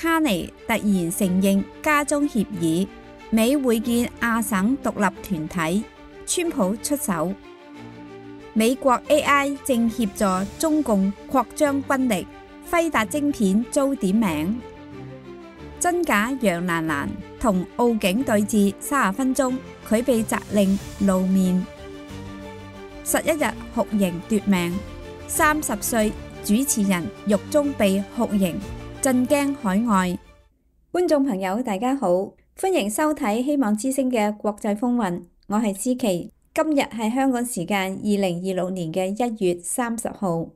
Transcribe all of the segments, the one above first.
卡尼突然承認加中協議，美會見亞省獨立團體，川普出手。美國 AI 正協助中共擴張軍力，輝達晶片遭點名。真假楊蘭蘭同奧警對峙30分鐘，佢被責令露面。11日酷刑奪命，30歲主持人獄中被酷刑，震驚海外。觀眾朋友大家好，歡迎收睇希望之聲嘅國際風雲，我係思琪。今日係香港時間2026年嘅1月30號。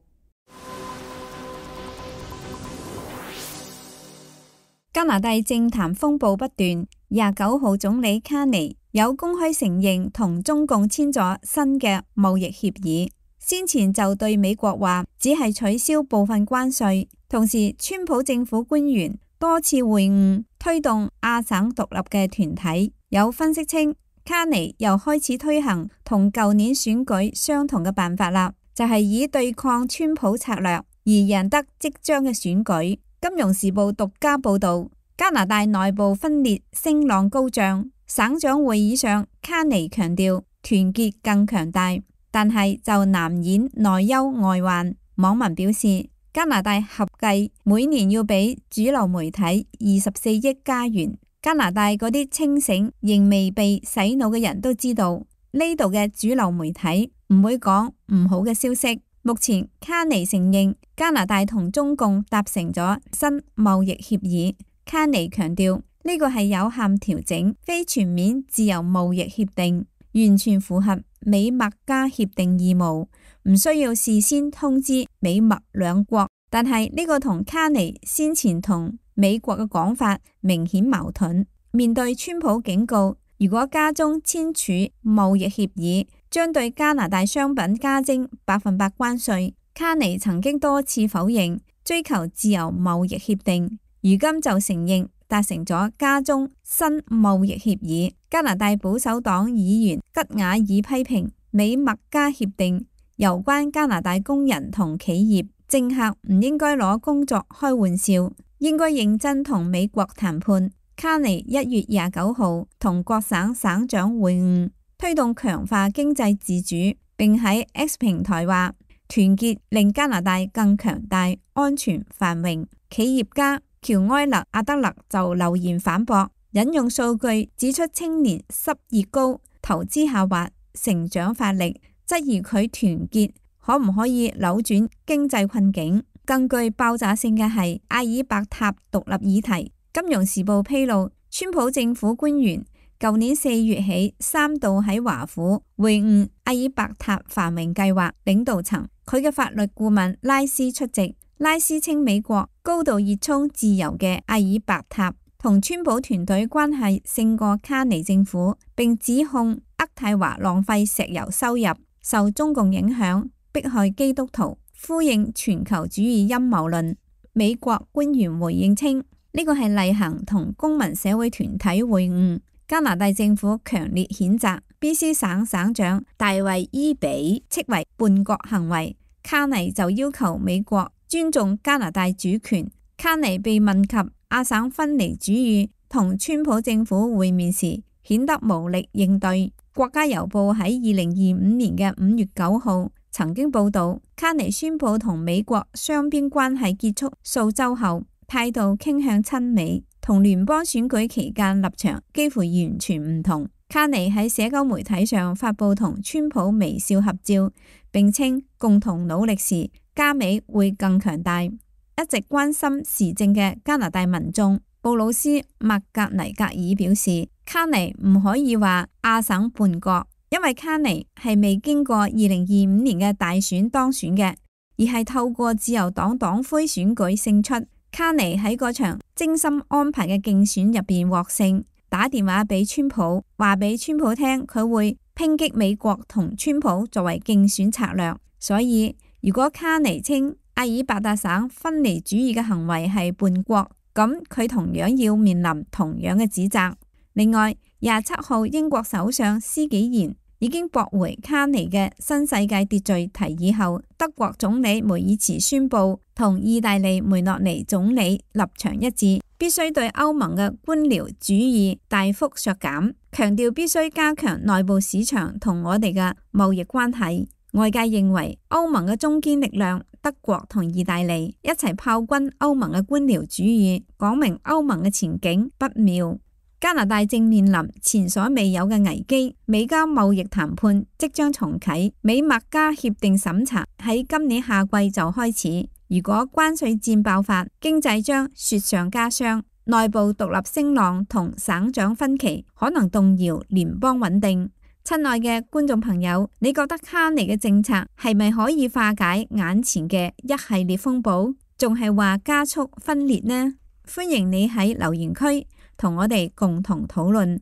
加拿大政壇風暴不斷，29號總理卡尼有公開承認同中共簽咗新嘅貿易協議，先前就對美國話只係取消部分關稅，同時川普政府官員多次會晤推動亞省獨立嘅團體。有分析稱，卡尼又開始推行同舊年選舉相同嘅辦法啦，就係以對抗川普策略而贏得即將嘅選舉。金融時報獨家報道，加拿大內部分裂聲浪高漲，省長會議上卡尼強調團結更強大，但係就難掩內憂外患。網民表示，加拿大合計每年要俾主流媒體24億加元。加拿大嗰啲清醒仍未被洗腦嘅人都知道，呢度嘅主流媒體唔會講唔好嘅消息。目前卡尼承認加拿大同中共達成咗新貿易協議。卡尼強調呢個係有限調整，非全面自由貿易協定，完全符合美墨加協定義務，唔需要事先通知美墨兩國。但係呢個同卡尼先前同美國嘅講法明顯矛盾。面對川普警告，如果加中簽署貿易協議，將對加拿大商品加徵100%關稅。卡尼曾經多次否認追求自由貿易協定，如今就承認達成咗加中新貿易協議。加拿大保守黨議員吉瓦爾批評美墨加協定攸關加拿大工人同企業，政客唔應該攞工作開玩笑，應該認真同美國談判。卡尼1月29號同各省省長會晤，推動強化經濟自主，並喺 X 平台話團結令加拿大更強大、安全、繁榮。企業家喬埃勒阿德勒就留言反駁，引用數據指出青年失業高、投資下滑、成長乏力，質疑佢團結可唔可以扭轉經濟困境。更具爆炸性嘅係阿爾伯塔獨立議題。金融時報披露，川普政府官員舊年4月起3度喺華府會晤阿爾伯塔繁榮計劃領導層，佢嘅法律顧問拉斯出席。拉斯稱美國高度熱衷自由嘅阿爾伯塔同川普團隊關係勝過卡尼政府，並指控渥太華浪費石油收入、受中共影響、迫害基督徒，呼應全球主義陰謀論。美國官員回應稱，呢個係例行同公民社會團體會晤。加拿大政府強烈譴責 BC 省省長大衛伊比斥為叛國行為。卡尼就要求美國尊重加拿大主權。卡尼被問及亞省分離主義同川普政府會面時，顯得無力應對。國家郵報喺2025年嘅5月9號曾經報道，卡尼宣布同美國雙邊關係結束數週後，態度傾向親美，同聯邦選舉期間立場幾乎完全唔同。卡尼喺社交媒體上發布同川普微笑合照，並稱共同努力時，加美會更強大。一直關心時政嘅加拿大民眾布魯斯麥格尼格爾表示，卡尼唔可以話亞省叛國，因為卡尼係未經過2025年嘅大選當選嘅，而係透過自由黨黨魁選舉勝出。卡尼喺嗰場精心安排嘅競選入邊獲勝，打電話俾川普，話俾川普聽佢會抨擊美國同川普作為競選策略。所以如果卡尼稱阿爾伯塔省分離主義嘅行為係叛國，咁佢同樣要面臨同樣嘅指責。另外27號英國首相施紀賢已經駁回卡尼嘅新世界秩序提議後，德國總理梅爾茨宣布同意大利梅洛尼總理立場一致，必須對歐盟嘅官僚主義大幅削減，強調必須加強內部市場同我哋嘅貿易關係。外界認為歐盟嘅中堅力量德國同意大利一齊炮轟歐盟嘅官僚主義，講明歐盟嘅前景不妙。加拿大正面臨前所未有嘅危機，美加貿易談判即將重啟，美墨加協定審查喺今年夏季就開始。如果關稅戰爆發，經濟將雪上加霜，內部獨立聲浪同省長分歧可能動搖聯邦穩定。親愛嘅觀眾朋友，你覺得卡尼嘅政策係咪可以化解眼前嘅一系列風暴，仲係話加速分裂呢？歡迎你喺留言區同我哋共同討論。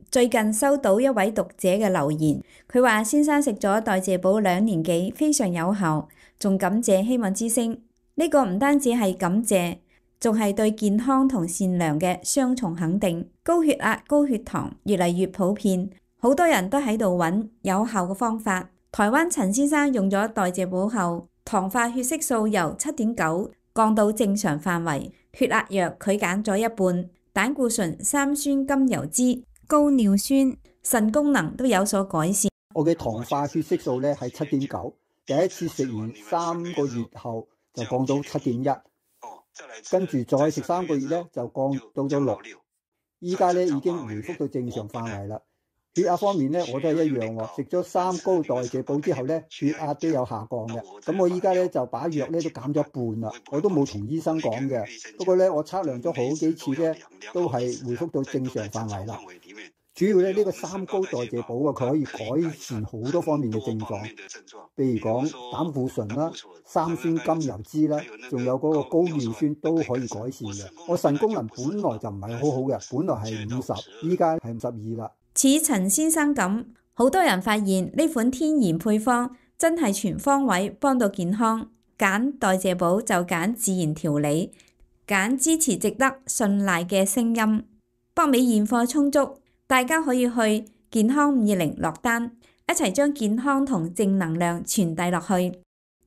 最近收到一位讀者嘅留言，佢話先生食咗代謝寶2年幾，非常有效，仲感謝希望之聲。呢個唔單止係感謝，仲係對健康同善良嘅雙重肯定。高血壓、高血糖越嚟越普遍，好多人都喺度揾有效嘅方法。台灣陳先生用咗代謝寶後，糖化血色素由7.9降到正常範圍，血壓藥佢減咗一半，膽固醇、三酸甘油酯、高尿酸、腎功能都有所改善。我嘅糖化血色素咧係7.9，第一次食完3個月後就降到7.1，跟住再食3個月咧就降到咗6，依家咧已經回復到正常範圍啦。血壓方面咧我都係一樣喎，食咗3高代謝寶之後咧血壓都有下降嘅。咁我依家咧就把藥咧都減咗一半啦，我都冇同醫生講嘅。不過咧我測量咗好幾次咧都係回復到正常範圍啦。主要咧呢個3高代謝寶啊，佢可以改善好多方面嘅症狀，譬如講膽固醇啦、三酸甘油酯啦，仲有嗰個高尿酸都可以改善嘅。我腎功能本來就唔係好好嘅，本來係50，依家係52啦。似陳先生咁，好多人發現呢款天然配方真係全方位幫到健康。揀代謝寶就揀自然調理，揀支持值得信賴嘅聲音。北美現貨充足，大家可以去健康520落單，一齊將健康同正能量傳遞落去。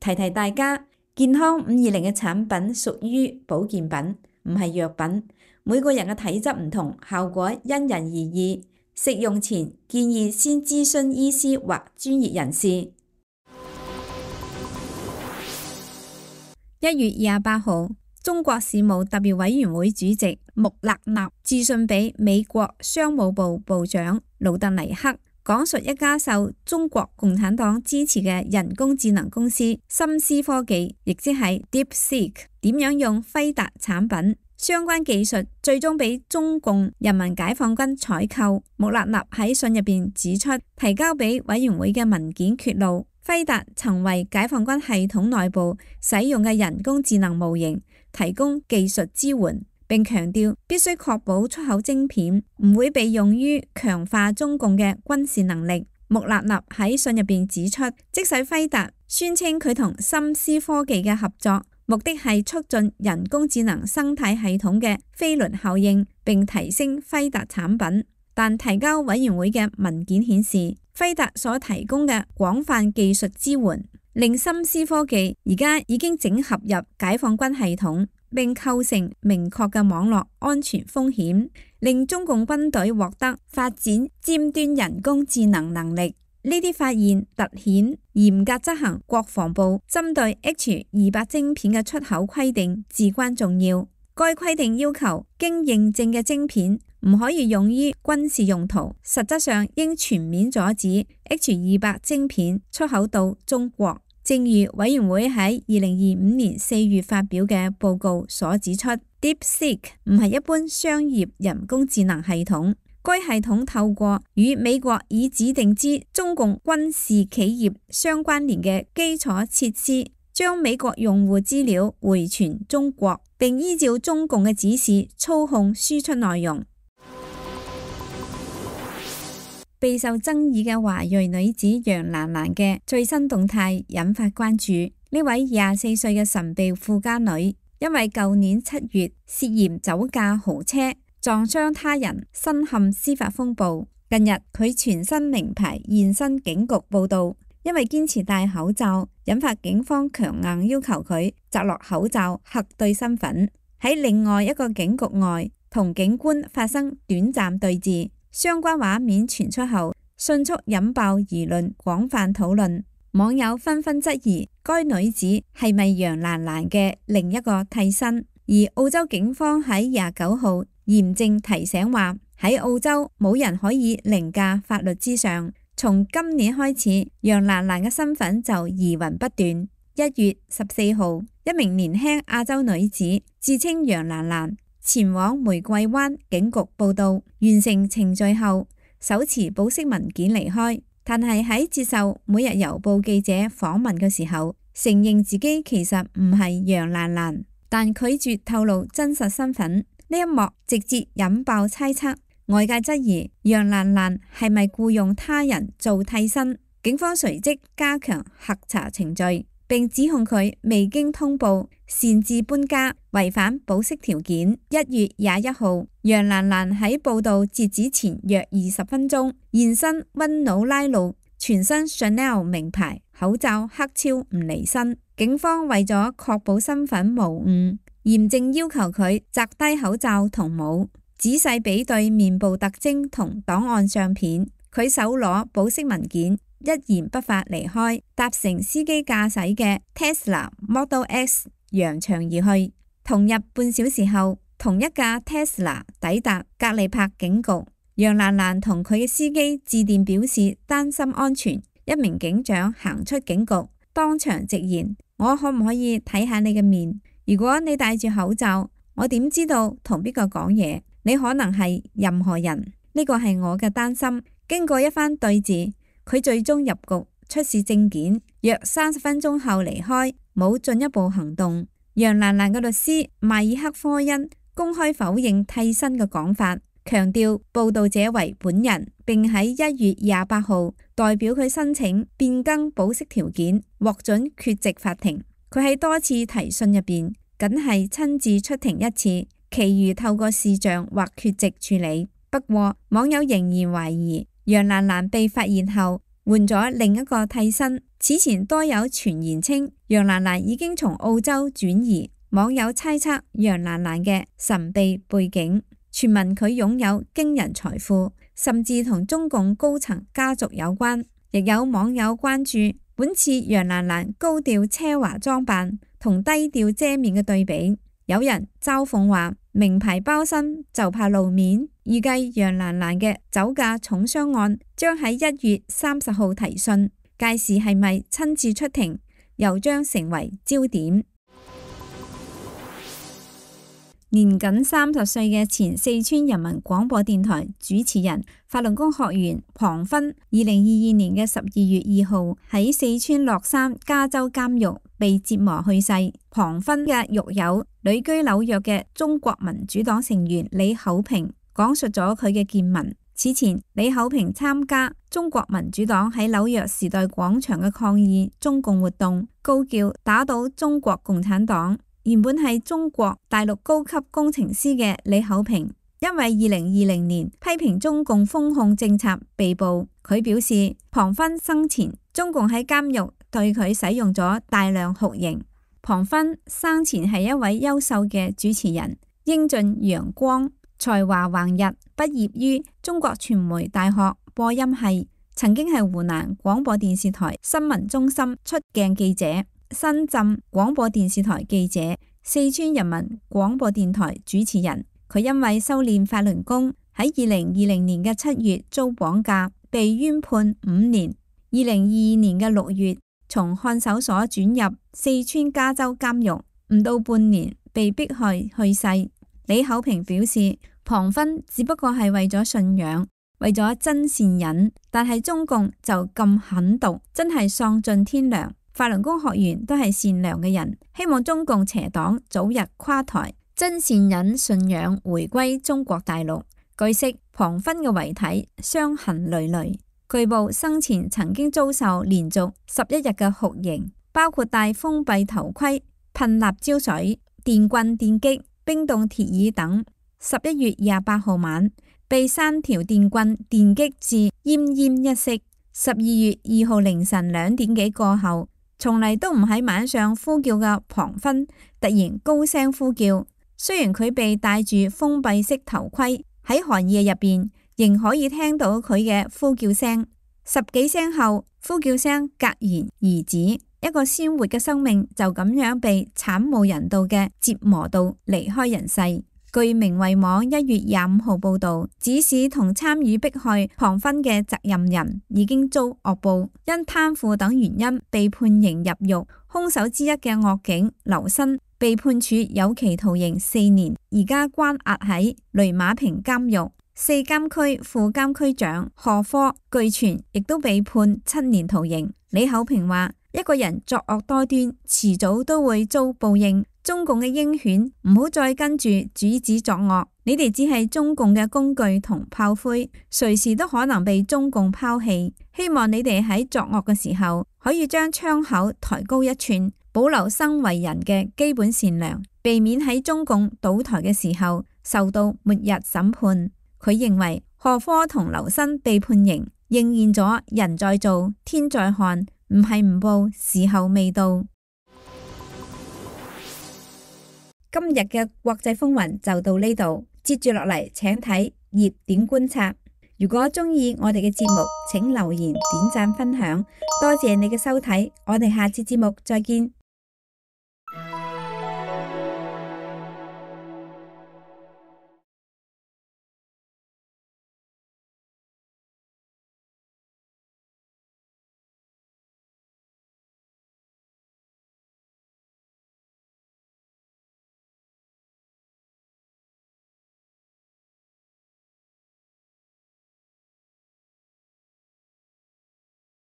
提提大家，健康520嘅產品屬於保健品，唔係藥品。每個人嘅體質唔同，效果因人而異。食用前建議先諮詢醫師或專業人士。1月28號，中國事務特別委員會主席穆勒納致信俾美國商務部部長魯特尼克，講述一家受中國共產黨支持嘅人工智能公司深思科技，亦即係 DeepSeek 點樣用輝達產品。相關技術最終俾中共人民解放軍採購。穆勒納喺信入邊指出，提交俾委員會嘅文件揭露，輝達曾為解放軍系統內部使用嘅人工智能模型提供技術支援，並強調必須確保出口晶片唔會被用於強化中共嘅軍事能力。穆勒納喺信入邊指出，即使輝達宣稱佢同深思科技嘅合作目的係促進人工智能生態系統嘅飛輪效應，並提升輝達產品，但提交委員會嘅文件顯示，輝達所提供嘅廣泛技術支援，令深思科技而家已經整合入解放軍系統，並構成明確嘅網絡安全風險，令中共軍隊獲得發展尖端人工智能能力。呢啲發現凸顯嚴格執行國防部針對 H200 晶片嘅出口規定至關重要。該規定要求經認證嘅晶片唔可以用於軍事用途，實質上應全面阻止 H200 晶片出口到中國。正如委員會喺2025年4月發表嘅報告所指出， DeepSeek 唔係一般商業人工智能系統。該系統透過與美國已指定之中共軍事企業相關聯嘅基礎設施，將美國用戶資料回傳中國，並依照中共嘅指示操控輸出內容。備受爭議嘅華裔女子楊蘭蘭嘅最新動態引發關注。呢位24歲嘅神秘富家女，因為舊年7月涉嫌酒駕豪車撞傷他人，身陷司法風暴。近日佢全身名牌現身警局報到，因為堅持戴口罩，引發警方強硬要求佢摘落口罩核對身份。喺另外一個警局外同警官發生短暫對峙，相關畫面傳出後，迅速引爆輿論，廣泛討論。網友紛紛質疑該女子係咪楊蘭蘭嘅另一個替身。而澳洲警方喺29號嚴正提醒話，喺澳洲冇人可以凌駕法律之上。從今年開始，楊蘭蘭嘅身份就疑雲不斷。1月14號，一名年輕亞洲女子自稱楊蘭蘭，前往玫瑰灣警局報到，完成程序後，手持保釋文件離開。但係喺接受每日郵報記者訪問嘅時候，承認自己其實唔係楊蘭蘭，但拒絕透露真實身份。呢一幕直接引爆猜測，外界質疑楊蘭蘭係咪僱用他人做替身。警方隨即加強核查程序，並指控佢未經通報擅自搬家，違反保釋條件。1月21號，楊蘭蘭喺報道截止前約20分鐘現身溫努拉路，全身 Chanel 名牌，口罩黑超唔離身。警方為咗確保身份無誤，嚴正要求佢摘低口罩同帽，仔細比對面部特徵同檔案相片。佢手攞保釋文件，一言不發離開，搭乘司機駕駛嘅 Tesla Model X 揚長而去。同日半小時後，同一架 Tesla 抵達格利柏警局。楊蘭蘭同佢嘅司機致電表示擔心安全。一名警長行出警局，當場直言：我可唔可以睇下你嘅面？如果你戴住口罩，我點知道同邊個講嘢？你可能係任何人。呢個係我嘅擔心。經過一番對峙，佢最終入局出示證件，約30分鐘後離開，冇進一步行動。楊蘭蘭嘅律師邁爾克科恩公開否認替身嘅講法，強調報道者為本人，並喺1月28號代表佢申請變更保釋條件，獲准缺席法庭。佢喺多次提訊入邊，僅係親自出庭一次，其餘透過視像或缺席處理。不過網友仍然懷疑楊蘭蘭被發現後換咗另一個替身。此前多有傳言稱楊蘭蘭已經從澳洲轉移，網友猜測楊蘭蘭嘅神秘背景，傳聞佢擁有驚人財富，甚至同中共高層家族有關。亦有網友關注本次楊蘭蘭高調奢華裝扮同低調遮面嘅對比，有人嘲諷話名牌包身就怕露面。預計楊蘭蘭嘅酒駕重傷案將喺1月30號提訊，屆時係咪親自出庭，又將成為焦點。年僅30歲嘅前四川人民廣播電台主持人、法輪功學員龐勳，2022年嘅12月2號喺四川樂山加州監獄被折磨去世。龐勳嘅獄友旅居紐約嘅中國民主黨成員李厚平講述咗佢嘅見聞。此前，李厚平參加中國民主黨喺紐約時代廣場嘅抗議中共活動，高叫打倒中國共產黨。原本係中國大陸高級工程師嘅李厚平，因為2020年批評中共封控政策被捕。佢表示，龐勳生前中共喺監獄對佢使用咗大量酷刑。龐勳生前係一位優秀嘅主持人，英俊陽光，才華橫溢，畢業於中國傳媒大學播音系，曾經係湖南廣播電視台新聞中心出鏡記者、深圳廣播電視台記者、四川人民廣播電台主持人。佢因為修煉法輪功，喺2020年嘅7月遭綁架，被冤判5年。2022年嘅6月，從看守所轉入四川加州監獄，唔到半年被迫害去世。李厚平表示，龐勳只不過係為咗信仰，為咗真善忍，但係中共就咁狠毒，真係喪盡天良。法輪功學員都係善良嘅人，希望中共邪黨早日垮台，真善忍信仰回歸中國大陸。據悉，龐勳嘅遺體傷痕累累，據報生前曾經遭受連續11日嘅酷刑，包括戴封閉頭盔、噴辣椒水、電棍電擊、冰凍鐵椅等。11月28號晚，被3條電棍電擊至奄奄一息。12月2號凌晨2點幾過後，從嚟都唔喺晚上呼叫嘅龐勳突然高聲呼叫，雖然佢被戴住封閉式頭盔，喺寒夜入邊仍可以聽到佢嘅呼叫聲。10幾聲後，呼叫聲戛然而止，一個鮮活嘅生命就咁樣被慘無人道嘅折磨到離開人世。據明慧網1月25號報道，指使同參與迫害龐勳嘅責任人已經遭惡報，因貪腐等原因被判刑入獄。兇手之一嘅惡警劉新被判處有期徒刑4年，而家關押喺雷馬平監獄。4監區副監區長何科據傳亦都被判7年徒刑。李厚平話：一個人作惡多端，遲早都會遭報應。中共嘅鷹犬唔好再跟住主子作惡，你哋只係中共嘅工具同炮灰，隨時都可能被中共拋棄。希望你哋喺作惡嘅時候，可以將槍口抬高1寸，保留生為人嘅基本善良，避免喺中共倒台嘅時候受到末日審判。佢認為何科同劉新被判刑，應驗咗人在做，天在看，唔係唔報，時候未到。今日嘅國際風雲就到呢度，接住落嚟請睇熱點觀察。如果中意我哋嘅節目，請留言、點讚、分享，多謝你嘅收睇，我哋下次節目再見。